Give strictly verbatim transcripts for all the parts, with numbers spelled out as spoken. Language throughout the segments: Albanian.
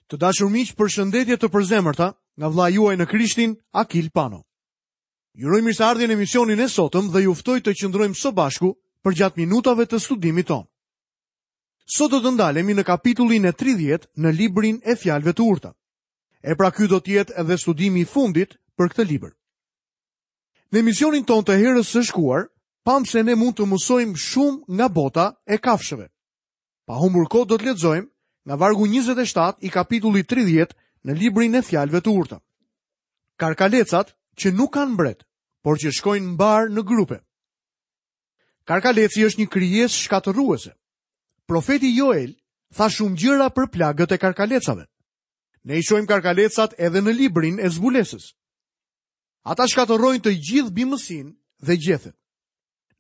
Të dashur miq, përshëndetje të përzemërta nga vëllai juaj në Krishtin, Akil Pano. Ju uroj mirëseardhjen në emisionin e sotëm dhe ju ftoj të qëndrojmë së bashku përgjatë minutave të studimit tonë. Sot do të ndalemi në kapitullin e tridhjetë në librin e Fjalëve të Urta. E pra ky do të jetë edhe studimi i fundit për këtë libër. Në emisionin tonë të herës së shkuar, pamë se ne mund të mësojmë shumë nga bota e kafshëve. Pa humbur kohë do të lexojmë nga vargu njëzet e shtatë i kapitullit tridhjetë në librin e Fjalëve të Urta. Karkalecat që nuk kanë mbret, por që shkojnë mbar në grupe. Karkaleci është një krijesë shkatërruese. Profeti Joel tha shumë gjëra për plagët e karkalecave. Ne i shohim karkalecat edhe në librin e zbulesës. Ata shkatërrojnë të gjithë bimësinë dhe gjethet.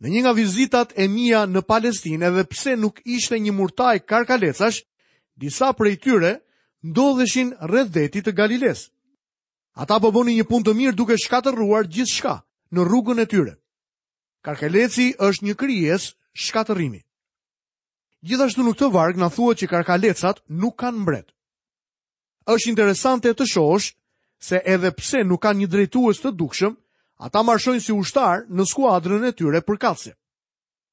Në një nga vizitat e mia në Palestinë, edhe pse nuk ishte një murtaj karkalecash, disa prej tyre ndodheshin rreth detit të Galiles. Ata po bënin një punë të mirë duke shkatërruar gjithçka në rrugën e tyre. Karkaleci është një krijesë shkatërrimi. Gjithashtu në këtë varg na thuhet që karkalecat nuk kanë mbret. Është interesante të shohësh se edhe pse nuk kanë një drejtues të dukshëm, ata marshojnë si ushtar në skuadrën e tyre përkatëse.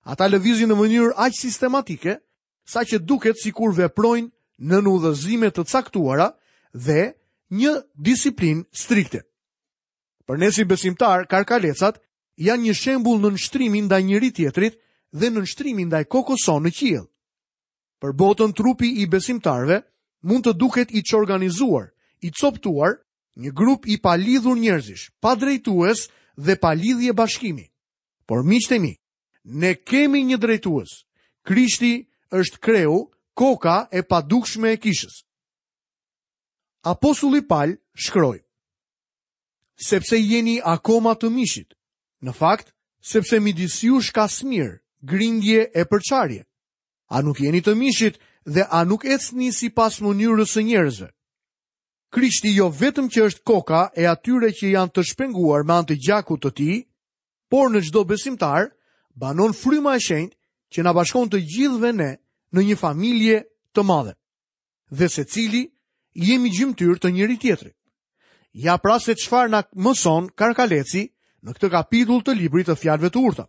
Ata lëvizin në mënyrë aq sistematike, sa që duket sikur veprojnë nën udhëzime të caktuara dhe një disiplinë strikte. Për ne si besimtar, karkalecat janë një shembull nënshtrimi ndaj njëri tjetrit dhe nënshtrimi ndaj kokës sonë në qiell. Për botën, trupi i besimtarëve mund të duket i çorganizuar, i coptuar, një grup i palidhur njerëzish, pa drejtues dhe pa lidhje bashkimi. Por miqtë e mi, ne kemi një drejtues. Krishti është kreu, koka e padukshme e kishës. Apostulli Pal shkroi: Sepse jeni akoma të mishit, në fakt, sepse midis jush ka smirë, grindje e përçarje. A nuk jeni të mishit dhe a nuk ecni sipas mënyrës së njerëzve? Krishti jo vetëm që është koka e atyre që janë të shpenguar me anë të gjakut të tij, por në çdo besimtar banon fryma e shenjtë që na bashkon të gjithëve ne në një familje të madhe. Dhe secili jemi gjymtyrë të njëri tjetrit. Ja pra se çfarë na mëson Karkaleci në këtë kapitull të librit të Fjalëve të Urta.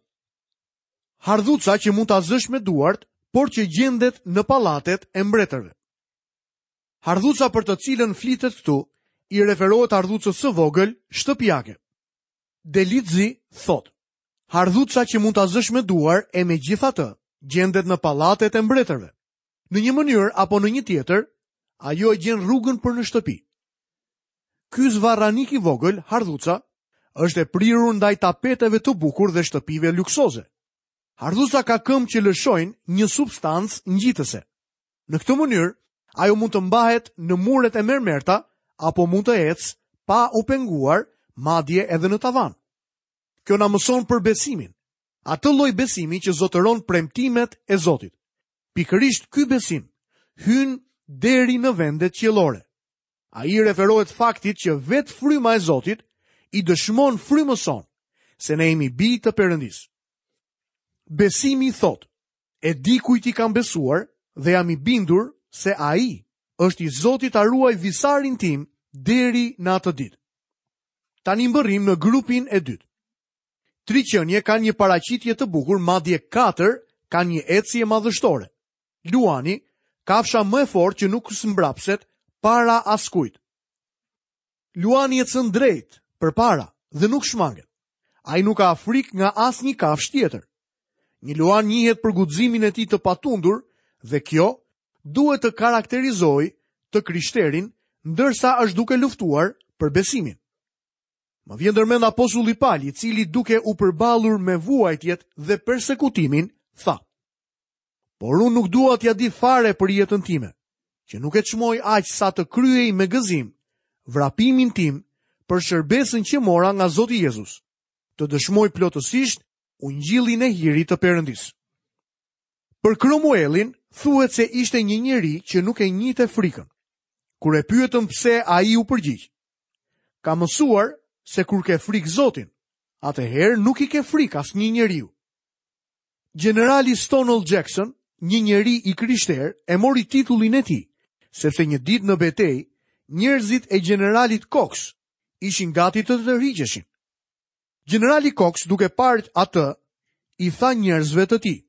Hardhuca që mund ta zësh me duart, por që gjendet në pallatet e mbretërve. Hardhuca për të cilën flitet këtu i referohet hardhucës së vogël shtëpiake. Delitzi thotë: Hardhuca që mund ta zësh me duar e megjithatë gjendet në pallatet e mbretërve. Në një mënyrë apo në një tjetër, ajo e gjen rrugën për në shtëpi. Ky zvarranik i vogël, hardhuca, është e prirur ndaj tapeteve të bukur dhe shtëpive luksoze. Hardhuca ka këmbë që lëshojnë një substancë ngjitëse. Në këtë mënyrë, ajo mund të mbahet në muret e mermerta apo mund të ecë pa u penguar, madje edhe në tavan. Kjo na mëson për besimin, atë lloj besimi që zotëron premtimet e Zotit. Pikërisht ky besim hyn deri në vendet qiellore. Ai i referohet faktit që vetë fryma e Zotit i dëshmon frymës sonë se ne jemi bij të Perëndisë. Besimi thotë: e di kujt i kam besuar dhe jam i bindur se ai është i Zotit ta ruaj visarin tim deri në atë ditë. Tani mbërrim në grupin e dytë. Tri qenie kanë një paraqitje të bukur, madje katër kanë një ecje madhështore. Luani, kafsha më e fortë që nuk zmbrapset para askujt. Luani ecën drejt, përpara dhe nuk shmanget. Ai nuk ka frikë nga asnjë kafshë tjetër. Një luan njihet për guximin e tij të patundur dhe kjo duhet të karakterizojë të krishterin ndërsa është duke luftuar për besimin. Më vjen ndërmend apostulli Pal, i cili duke u përballur me vuajtjet dhe persekutimin, tha: Por unë nuk dua t'ja di fare për jetën time, që nuk e çmoj aq sa të kryej me gëzim vrapimin tim për shërbesën që mora nga Zoti Jezus, të dëshmoj plotësisht ungjillin e hirit të Perëndisë. Për Kromuelin thuhet se ishte një njeri që nuk e njihte frikën. Kur e pyetën pse, ai u përgjigj: Ka mësuar se kur ke frikë Zotin, atëherë nuk i ke frikë asnjë njeriu. Generali Stonewall Jackson, një njeri i krishterë, e mori titullin e tij, Sepse një ditë në betejë, njerëzit e gjeneralit Cox ishin gati të tërhiqeshin. Gjenerali Cox, duke parë atë, i tha njerëzve të tij: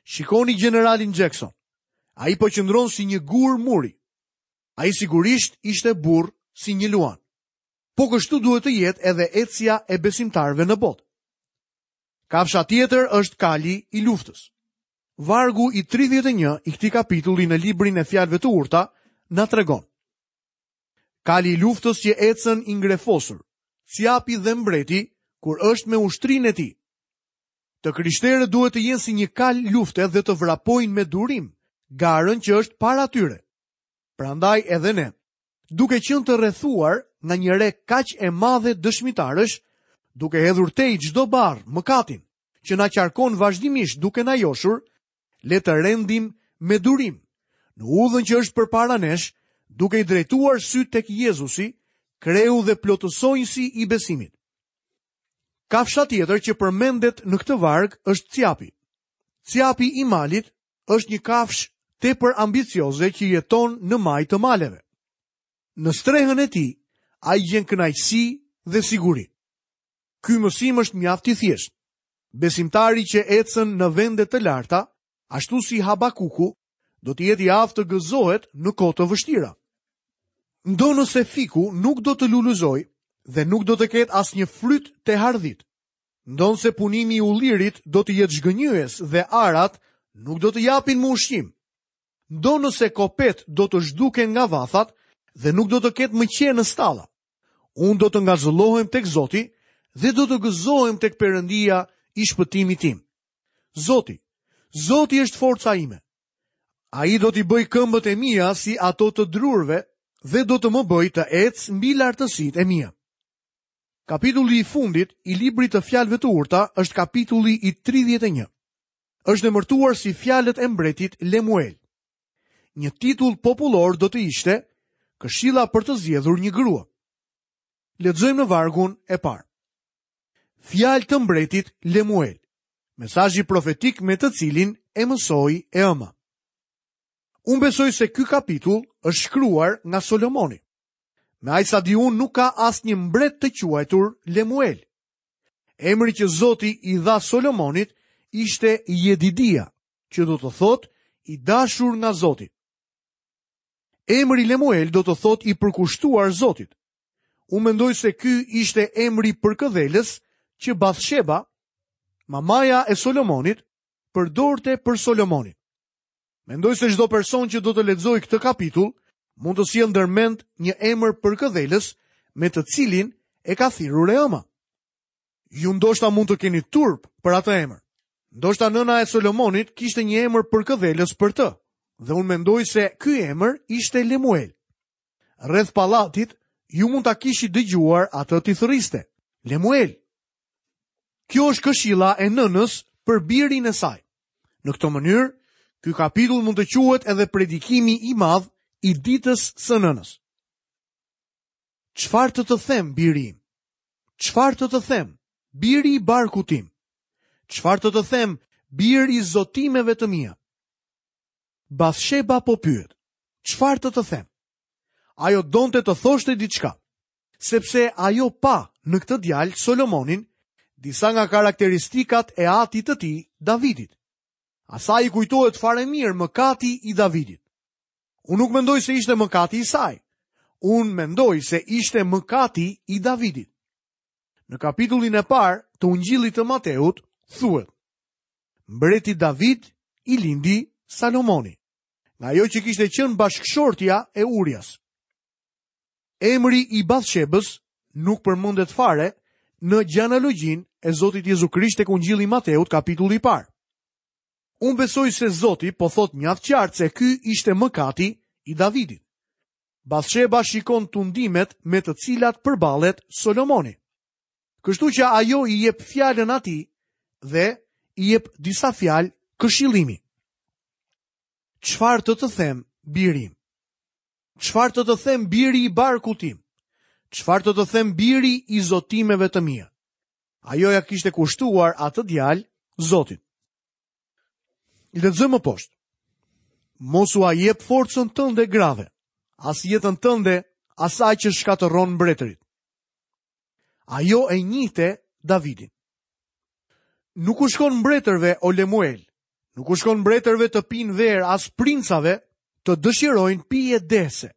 "Shikoni gjeneralin Jackson. Ai po qëndron si një gur muri. Ai sigurisht ishte burr si një luan." Po kështu duhet të jetë edhe ecja e besimtarëve në botë. Kafsha tjetër është kali i luftës. Vargu i tridhjetë e një i këtij kapitulli në librin e fjalëve të urta na tregon. Kali i luftës që ecën i ngrefosur, cjapi dhe mbreti kur është me ushtrinë e tij. Të krishterët duhet të jenë si një kal lufte dhe të vrapojnë me durim garën që është para tyre. Prandaj edhe ne, duke qenë të rrethuar nga një re kaq e madhe dëshmitarësh, duke hedhur tej çdo barrë mëkatin që na qarkon vazhdimisht duke na joshur, le të rendim me durim në udhën që është përpara nesh, duke i drejtuar sy tek Jezusi, kreu dhe plotësonjësi i besimit. Kafsha tjetër që përmendet në këtë varg është cjapi. Cjapi i malit është një kafshë tepër ambicioze që jeton në majë të maleve. Në strehën e tij, ai gjen kënaqësi dhe siguri. Ky mësim është mjaft i thjeshtë. Besimtari që ecën në vende të larta, ashtu si Habakuku, do të jetë i aftë të gëzohet në kohë të vështira. Ndonëse fiku nuk do të lulëzojë dhe nuk do të ketë asnjë fryt të hardhit, ndonëse punimi i ullirit do të jetë zhgënjyes dhe arat nuk do të japin më ushqim, ndonëse kopet do të zhduken nga vathat dhe nuk do të ketë më qenë në stalla, unë do të ngazëllohem tek Zoti dhe do të gëzohem tek Perëndia i shpëtimit tim. Zoti, Zoti është forca ime. Ai do t'i bëj këmbët e mia si ato të drurëve dhe do të më bëj të ec mbi lartësitë e mia. Kapitulli i fundit i librit të fjalëve të urta është kapitulli i tridhjetë e një. Është emërtuar si fjalët e mbretit Lemuel. Një titull popullor do të ishte Këshilla për të zgjedhur një grua. Lexojmë në vargun e parë. Fjalë të mbretit Lemuel, mesazhi profetik me të cilin e mësoi e ëma. Unë besoj se ky kapitull është shkruar nga Solomoni. Me aq sa di unë nuk ka asnjë mbret të quajtur Lemuel. Emri që Zoti i dha Solomonit ishte Jedidia, që do të thotë i dashur nga Zoti. Emri Lemuel do të thotë i përkushtuar Zotit. Unë mendoj se ky ishte emri përkëdhelës që Bathsheba, mamaja e Solomonit, përdorte për Solomonin. Mendoj se çdo person që do të lexojë këtë kapitull mund të sjellë ndërmend një emër përkëdhelës me të cilin e ka thirrur e ëma. Ju ndoshta mund të keni turp për atë emër. Ndoshta nëna e Solomonit kishte një emër përkëdhelës për të, dhe unë mendoj se ky emër ishte Lemuel. Rreth pallatit ju mund ta kishit dëgjuar atë t'i thërriste, Lemuel. Kjo është këshilla e nënës për birin e saj. Në këtë mënyrë, ky kapitull mund të quhet edhe predikimi i madh i ditës së nënës. Çfarë të të them, biri im? Çfarë të të them, biri i barkut tim? Çfarë të të them, bir i zotimeve të mia? Bathsheba po pyet, çfarë të të them? Ajo donte të thoshte diçka, sepse ajo pa në këtë djalë Solomonin disa nga karakteristikat e atit të tij, Davidit. Asaj i kujtohet fare mirë mëkati i Davidit. Unë nuk mendoj se ishte mëkati i saj. Unë mendoj se ishte mëkati i Davidit. Në kapitullin e parë të Ungjillit të Mateut thuhet: Mbreti David i lindi Salomoni, nga ajo që kishte qenë bashkëshortja e Urias. Emri i Bathshebës nuk përmendet fare në gjenealogjinë e Zotit Jezu Krisht tek Ungjilli i Mateut, kapitulli i parë. Unë besoj se Zoti po thot mjaft qartë se ky ishte mëkati i Davidit. Bathsheba shikon tundimet me të cilat përballet Solomoni. Kështu që ajo i jep fjalën atij dhe i jep disa fjalë këshillimi. Çfarë të të them, biri im? Çfarë të të them, biri i barkut tim? Çfarë të të them, biri i zotimeve të mia? Ajo ja kishte kushtuar atë djalë Zotit. Lexojmë më poshtë. Mos ua jep forcën tënde grave, as jetën tënde asaj që shkatërron mbretërit. Ajo e njihte Davidin. Nuk u shkon mbretërve o Lemuel, nuk u shkon mbretërve të pinë verë as princave të dëshirojnë pije dehëse,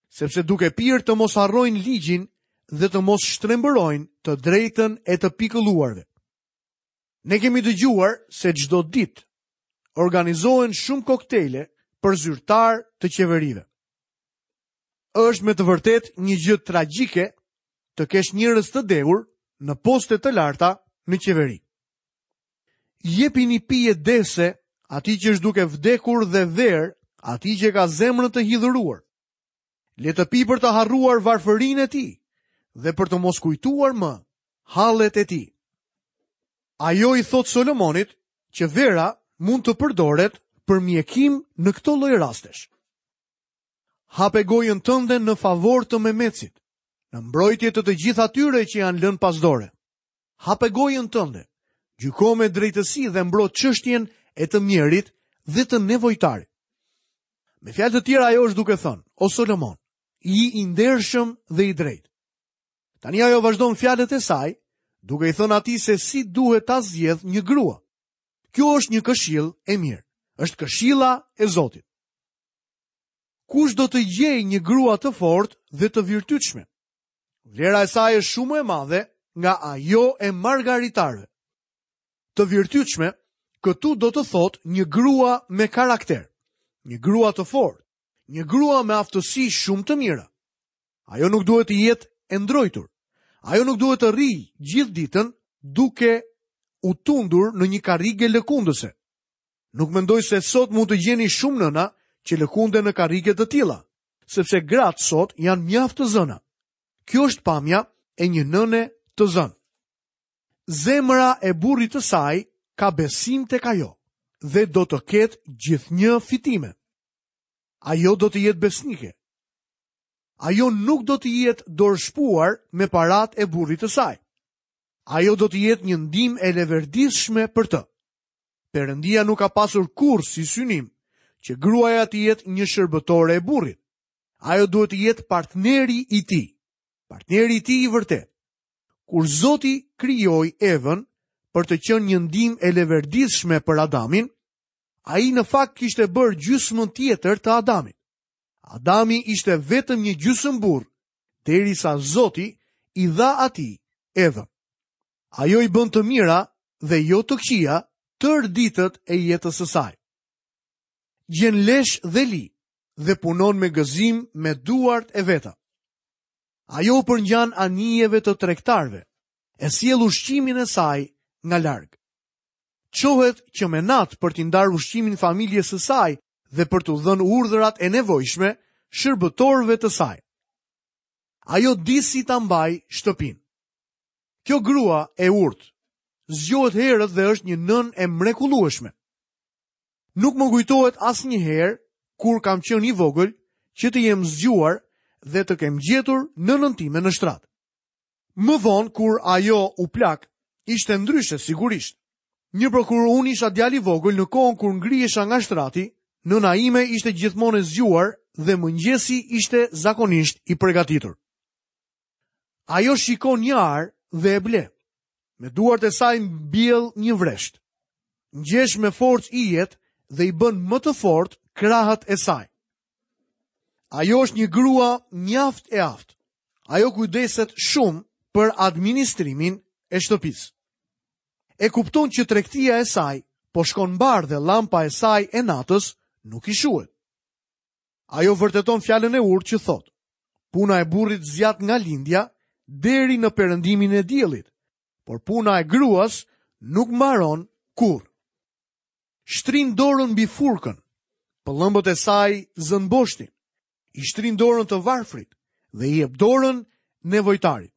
sepse duke pirë të mos harrojnë ligjin dhe të mos shtrembërojnë të drejtën e të pikëlluarve. Ne kemi dëgjuar se çdo ditë organizohen shumë koktejle për zyrtar të qeverive. Është me të vërtetë një gjë tragjike të kesh njerëz të dehur në poste të larta në qeveri. Jepini pije dehëse atij që është duke vdekur dhe verë atij që ka zemrën të hidhëruar. Le të pi për të harruar varfërinë e tij dhe për të mos kujtuar më hallet e tij. Ajo i thot Solomonit që vera mund të përdoret për mjekim në këto lloj rastesh. Hape gojën tënde në favor të memecit, në mbrojtje të të gjithë atyre që janë lënë pas dore. Hape gojën tënde, gjyko me drejtësi dhe mbro çështjen e të mjerit dhe të nevojtarit. Me fjalë të tjera ajo është duke thënë, o Solomon, i i ndershëm dhe i drejtë. Tani ajo vazhdon fjalët e saj, duke i thënë atij se si duhet ta zgjedh një grua. Kjo është një këshill e mirë. Është këshilla e Zotit. Kush do të gjejë një grua të fortë dhe të virtytshme? Vlera e saj është shumë më e madhe nga ajo e margaritarëve. Të virtytshme, këtu do të thotë një grua me karakter, një grua të fortë, një grua me aftësi shumë të mira. Ajo nuk duhet të jetë e ndrojtur. Ajo nuk duhet të rrijë gjithë ditën duke u tundur në një karrige lëkundëse. Nuk mendoj se sot mund të gjeni shumë nëna që lëkunden në karrige të tilla, sepse gratë sot janë mjaft të zëna. Kjo është pamja e një nëne të zënë. Zemra e burrit të saj ka besim tek ajo dhe do të ketë gjithnjë fitime. Ajo do të jetë besnike. Ajo nuk do të jetë dorëshpuar me parat e burrit të saj. Ajo do të jetë një ndihmë e leverdishme për të. Perëndia nuk ka pasur kurrë si synim që gruaja të jetë një shërbëtore e burrit. Ajo duhet të jetë partneri i tij, partneri i tij i vërtetë. Kur Zoti krijoi Evën për të qenë një ndihmë e leverdishme për Adamin, ai në fakt kishte bërë gjysmën tjetër të Adamit. Adami ishte vetëm një gjysmë burr, derisa Zoti i dha atij Evën. Ajo i bën të mira dhe jo të këqija tërë ditët e jetës së saj. Gjen lesh dhe li dhe punon me gëzim me duart e veta. Ajo u përngjan anijeve të tregtarëve, e sjell ushqimin e saj nga larg. Çohet që me natë për t'i ndarë ushqimin familjes së saj dhe për t'u dhënë urdhrat e nevojshme shërbëtorëve të saj. Ajo di si ta mbaj shtëpinë. Kjo grua e urtë zgjohet herët dhe është një nënë e mrekullueshme. Nuk më kujtohet asnjëherë kur kam qenë i vogël që të jem zgjuar dhe të kem gjetur nënën time në shtrat. Më vonë kur ajo u plak, ishte ndryshe sigurisht. Një për kur unë isha djalë i vogël në kohën kur ngrihesha nga shtrati, nëna ime ishte gjithmonë e zgjuar dhe mëngjesi ishte zakonisht i përgatitur. Ajo shikon një arë dhe e ble. Me duart e saj mbjell një vresht. Ngjesh me forcë ijet dhe i bën më të fortë krahët e saj. Ajo është një grua mjaft e aftë. Ajo kujdeset shumë për administrimin e shtëpisë. E kupton që tregtia e saj po shkon mbar dhe lampa e saj e natës nuk i shuhet. Ajo vërteton fjalën e urtë që thotë: Puna e burrit zgjat nga lindja deri në perëndimin e diellit, por puna e gruas nuk mbaron kurrë. Shtrin dorën mbi furkën, pëllëmbët e saj zën boshtin, i shtrin dorën të varfrit dhe i jep dorën nevojtarit.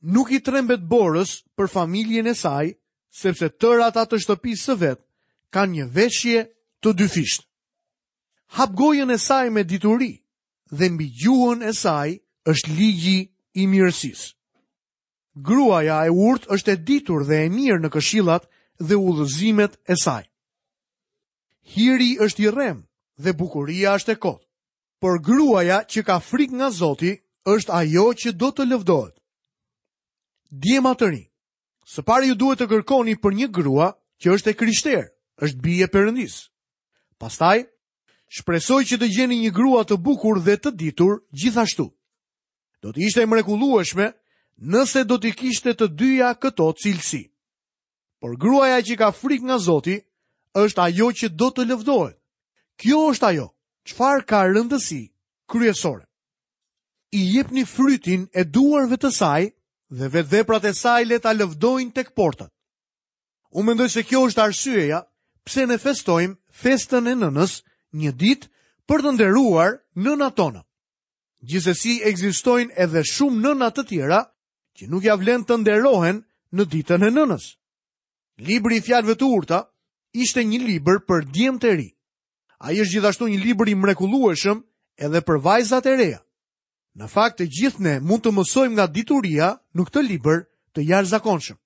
Nuk i trembet borës për familjen e saj, sepse tërë ata të shtëpisë së vet kanë një veshje të dyfishtë. Hap gojën e saj me dituri dhe mbi gjuhën e saj është ligji i mirësisë. Gruaja e urtë është e ditur dhe e mirë në këshillat dhe udhëzimet e saj. Hiri është i rrem dhe bukuria është e kotë. Por gruaja që ka frikë nga Zoti është ajo që do të lëvdohet. Djema të rinj, së pari ju duhet të kërkoni për një grua që është e krishterë, është bijë e Perëndisë. Pastaj, shpresoj që të gjeni një grua të bukur dhe të ditur gjithashtu. Do të ishte e mrekullueshme nëse do t'i kishte të dyja këto cilësi. Por gruaja që ka frikë nga Zoti është ajo që do të lëvdohet. Kjo është ajo çfarë ka rëndësi kryesore. I jepni frytin e duarve të saj dhe vetë veprat e saj le ta lëvdojnë tek portat. Unë mendoj se kjo është arsyeja pse ne festojmë festën e nënës një ditë për të nderuar nënat tona. Gjithsesi ekzistojnë edhe shumë nëna të tjera që nuk ja vlen të nderohen në ditën e nënës. Libri i Fjalëve të Urta ishte një libër për djemtë e ri. Ai është gjithashtu një libër i mrekullueshëm edhe për vajzat e reja. Në fakt, të gjithë ne mund të mësojmë nga dituria në këtë libër të jashtëzakonshëm.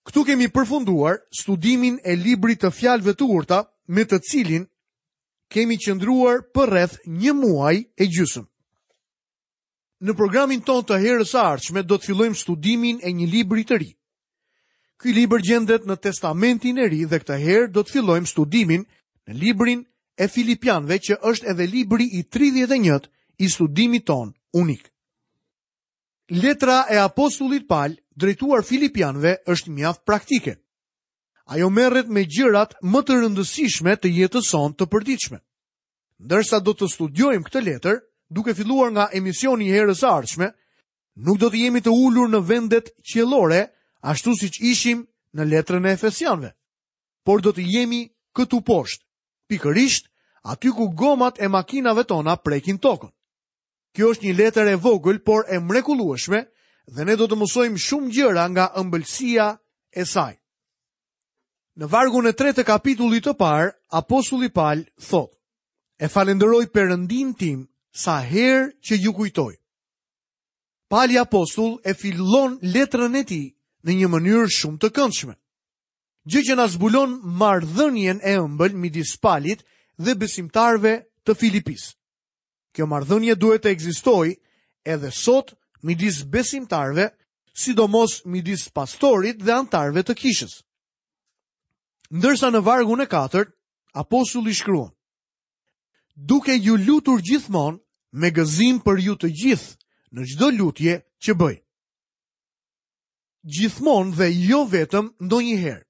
Këtu kemi përfunduar studimin e librit të Fjalëve të Urta, me të cilin kemi qëndruar për rreth një muaj e gjysmë. Në programin tonë të herës së ardhshme do të fillojmë studimin e një libri të ri. Ky libër gjendet në Testamentin e Ri dhe këtë herë do të fillojmë studimin në librin e Filipianëve, që është edhe libri i tridhjetë e një i studimit tonë unik. Letra e apostullit Pal drejtuar Filipianëve është mjaft praktike. Ajo merret me gjërat më të rëndësishme të jetës sonë të përditshme. Ndërsa do të studiojmë këtë letër, duke filluar nga emisioni i herës së ardhshme, nuk do të jemi të ulur në vendet qiellore, ashtu siç ishim në letrën e Efesianëve, por do të jemi këtu poshtë, pikërisht aty ku gomat e makinave tona prekin tokën. Kjo është një letër e vogël, por e mrekullueshme, dhe ne do të mësojmë shumë gjëra nga ëmbëlsia e saj. Në vargun e tretë të kapitullit të parë, apostulli Pal thotë: "E falenderoj Perëndin tim sa herë që ju kujtoj." Pali apostull e fillon letrën e tij në një mënyrë shumë të këndshme, gjë që na zbulon marrëdhënien e ëmbël midis Palit dhe besimtarëve të Filipisë. Kjo marrëdhënie duhet të ekzistojë edhe sot midis besimtarëve, sidomos midis pastorit dhe anëtarëve të kishës. Ndërsa në vargun e katërt, apostulli shkruan: "Duke ju lutur gjithmonë me gëzim për ju të gjithë në çdo lutje që bëj." Gjithmonë dhe jo vetëm ndonjëherë.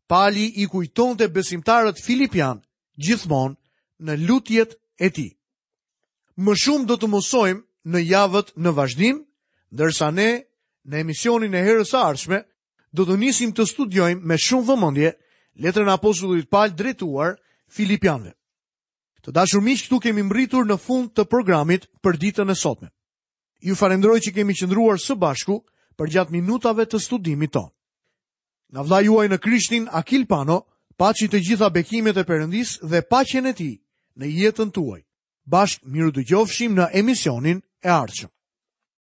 Pali i kujtonte besimtarët filipian gjithmonë në lutjet e tij. Më shumë do të mësojmë në javët në vazhdim, ndërsa ne në emisionin e herës së ardhshme do të nisim të studiojmë me shumë vëmendje letrën e apostullit Pal drejtuar Filipianëve. Të dashur miq, këtu kemi mbërritur në fund të programit për ditën e sotme. Ju falenderoj që kemi qëndruar së bashku përgjatë minutave të studimit tonë. Nga vëllai juaj në Krishtin, Akil Pano, paçi të gjitha bekimet e Perëndisë dhe paqen e tij në jetën tuaj. Bashkë mirudëgjofshim në emisionin e ardhshëm.